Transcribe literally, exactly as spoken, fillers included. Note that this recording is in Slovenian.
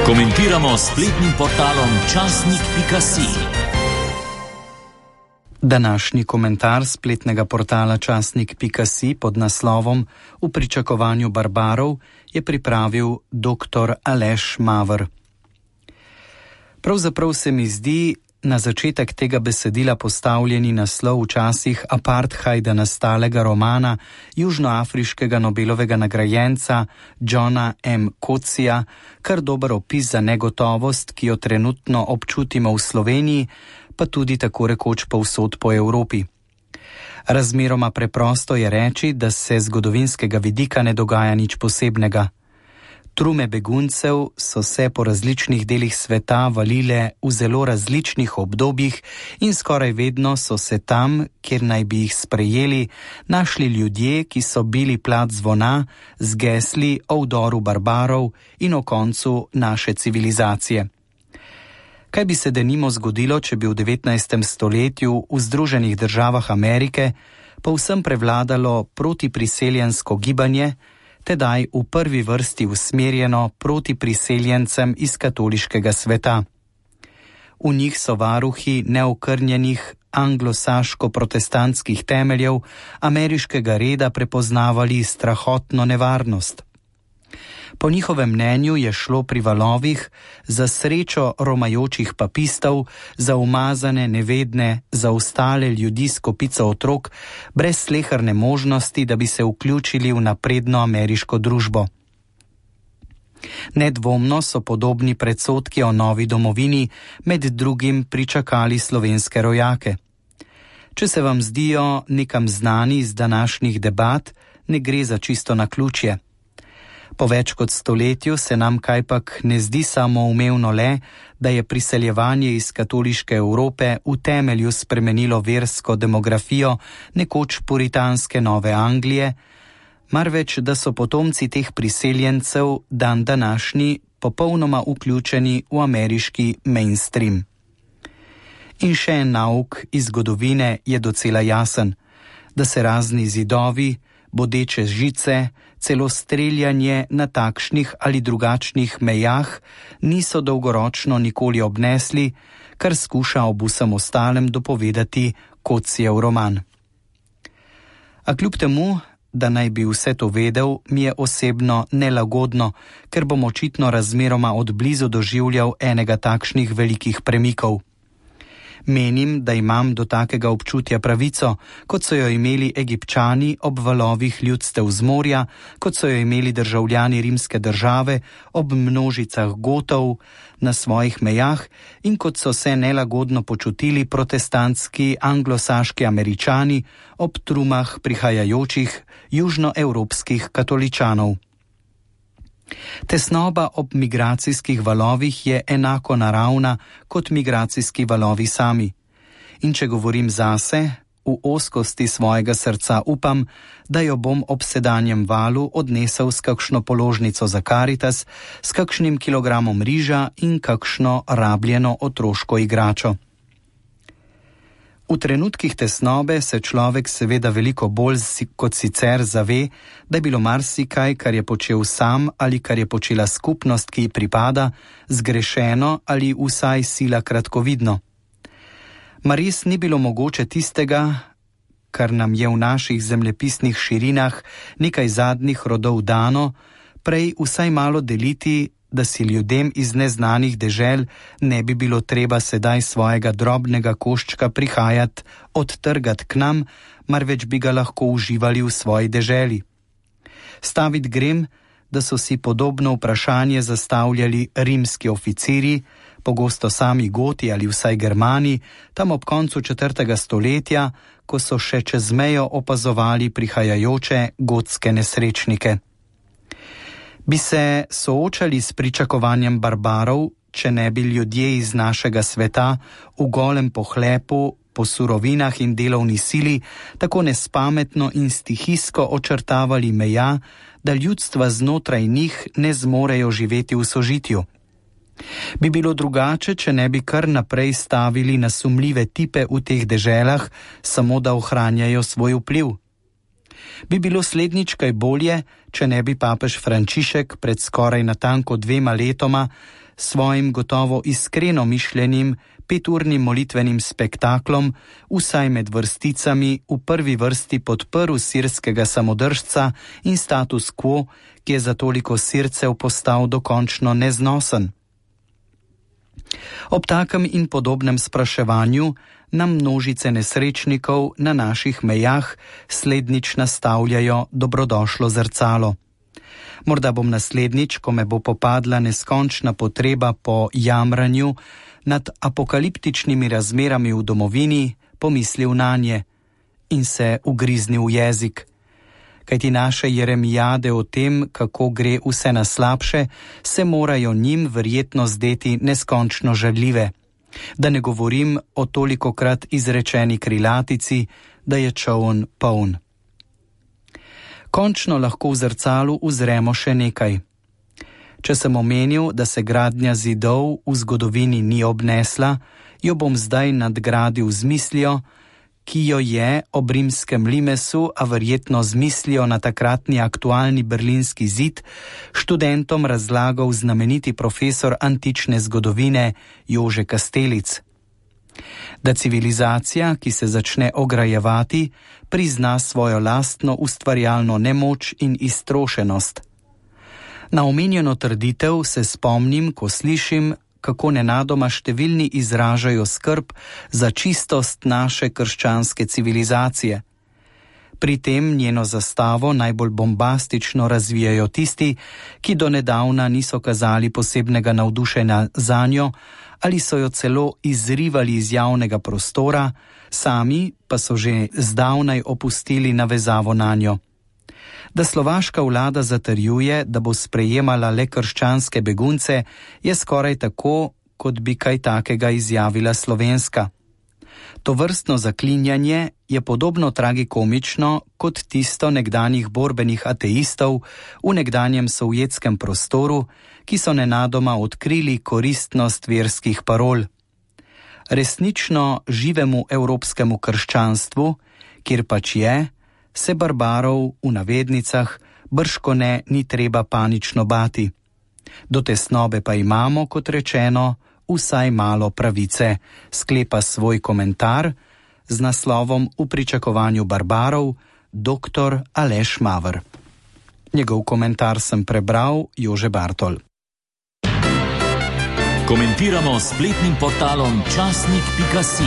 Komentiramo s spletnim portalom časnik pika si. Današnji komentar spletnega portala časnik pika si pod naslovom V pričakovanju barbarov je pripravil doktor Aleš Maver. Pravzaprav se mi zdi na začetek tega besedila postavljeni naslov v časih apartheida nastalega romana južnoafriškega Nobelovega nagrajenca Johna M. Coatsija kar dober opis za negotovost, ki jo trenutno občutimo v Sloveniji, pa tudi tako rekoč povsod po Evropi. Razmeroma preprosto je reči, da se zgodovinskega vidika ne dogaja nič posebnega. Trume beguncev so se po različnih delih sveta valile v zelo različnih obdobjih in skoraj vedno so se tam, kjer naj bi jih sprejeli, našli ljudje, ki so bili plat zvona z gesli o vdoru barbarov in o koncu naše civilizacije. Kaj bi se denimo zgodilo, če bi v devetnajstem stoletju v Združenih državah Amerike povsem prevladalo protipriseljensko gibanje, tedaj v prvi vrsti usmerjeno proti priseljencem iz katoliškega sveta. V njih so varuhi neokrnjenih anglosaško-protestantskih temeljev ameriškega reda prepoznavali strahotno nevarnost. Po njihovem mnenju je šlo pri valovih za srečo romajočih papistov, za umazane, nevedne, za ostale ljudi s kopico otrok, brez sleherne možnosti, da bi se vključili v napredno ameriško družbo. Nedvomno so podobni predsodki o novi domovini med drugim pričakali slovenske rojake. Če se vam zdijo nekam znani iz današnjih debat, ne gre za čisto naključje. Po več kot stoletju se nam kajpak ne zdi samoumevno le, da je priseljevanje iz katoliške Evrope v temelju spremenilo versko demografijo nekoč puritanske Nove Anglije, marveč da so potomci teh priseljencev dan današnji popolnoma vključeni v ameriški mainstream. In še en nauk iz zgodovine je docela jasen, da se razni zidovi, bodeče žice, celo streljanje na takšnih ali drugačnih mejah niso dolgoročno nikoli obnesli, kar skuša ob vsem ostalem dopovedati Coatsijev roman. A kljub temu, da naj bi vse to vedel, mi je osebno nelagodno, ker bom očitno razmeroma odblizu doživljal enega takšnih velikih premikov. Menim, da imam do takega občutja pravico, kot so jo imeli Egipčani ob valovih ljudstev z morja, kot so jo imeli državljani rimske države ob množicah Gotov na svojih mejah in kot so se nelagodno počutili protestantski anglosaški Američani ob trumah prihajajočih južnoevropskih katoličanov. Tesnoba ob migracijskih valovih je enako naravna kot migracijski valovi sami. In če govorim zase, v ozkosti svojega srca upam, da jo bom ob sedanjem valu odnesel s kakšno položnico za Karitas, s kakšnim kilogramom riža in kakšno rabljeno otroško igračo. V trenutkih tesnobe se človek seveda veliko bolj kot sicer zave, da je bilo marsikaj, kar je počel sam ali kar je počela skupnost, ki ji pripada, zgrešeno ali vsaj sila kratkovidno. Mar res ni bilo mogoče tistega, kar nam je v naših zemljepisnih širinah nekaj zadnjih rodov dano, prej vsaj malo deliti, da si ljudem iz neznanih dežel ne bi bilo treba sedaj svojega drobnega koščka prihajati, odtrgati k nam, marveč bi ga lahko uživali v svoji deželi. Stavit grem, da so si podobno vprašanje zastavljali rimski oficiri, pogosto sami Goti ali vsaj Germani, tam ob koncu četrtega stoletja, ko so še čez mejo opazovali prihajajoče gotske nesrečnike. Bi se soočali s pričakovanjem barbarov, če ne bi ljudje iz našega sveta v golem pohlepu, po surovinah in delovni sili tako nespametno in stihijsko očrtavali meja, da ljudstva znotraj njih ne zmorejo živeti v sožitju. Bi bilo drugače, če ne bi kar naprej stavili na sumljive tipe v teh deželah, samo da ohranjajo svoj vpliv. Bi bilo slednjič kaj bolje, če ne bi papež Frančišek pred skoraj natanko dvema letoma svojim gotovo iskreno mišljenim peturnim molitvenim spektaklom, vsaj med vrsticami, v prvi vrsti podprl sirskega samodržca in status quo, ki je za toliko Sircev postal dokončno neznosen. Ob takem in podobnem spraševanju nam množice nesrečnikov na naših mejah slednjič nastavljajo dobrodošlo zrcalo. Morda bom naslednjič, ko me bo popadla neskončna potreba po jamranju nad apokaliptičnimi razmerami v domovini, pomislil nanje in se ugriznil v jezik. Kajti naše jeremijade o tem, kako gre vse na slabše, se morajo njim verjetno zdeti neskončno žaljive. Da ne govorim o tolikokrat izrečeni krilatici, da je čoln poln. Končno lahko v zrcalu uzremo še nekaj. Če sem omenil, da se gradnja zidov v zgodovini ni obnesla, jo bom zdaj nadgradil z mislijo, ki jo je ob rimskem limesu, a verjetno z mislijo na takratni aktualni berlinski zid, študentom razlagal znameniti profesor antične zgodovine Jože Kastelic. Da civilizacija, ki se začne ograjevati, prizna svojo lastno ustvarjalno nemoč in iztrošenost. Na omenjeno trditev se spomnim, ko slišim, kako nenadoma številni izražajo skrb za čistost naše krščanske civilizacije. Pri tem njeno zastavo najbolj bombastično razvijajo tisti, ki do nedavna niso kazali posebnega navdušenja zanjo ali so jo celo izrivali iz javnega prostora, sami pa so že zdavnaj opustili navezavo nanjo. Da slovaška vlada zatrjuje, da bo sprejemala le krščanske begunce, je skoraj tako, kot bi kaj takega izjavila slovenska. Tovrstno zaklinjanje je podobno tragikomično kot tisto nekdanjih borbenih ateistov v nekdanjem sovjetskem prostoru, ki so nenadoma odkrili koristnost verskih parol. Resnično živemu evropskemu krščanstvu, kjer pač je, se barbarov v navednicah bržkone ni treba panično bati. Do tesnobe pa imamo, kot rečeno, vsaj malo pravice, sklepa svoj komentar z naslovom V pričakovanju barbarov doktor Aleš Maver. Njegov komentar sem prebral Jože Bartol. Komentiramo spletnim portalom časnik pika si.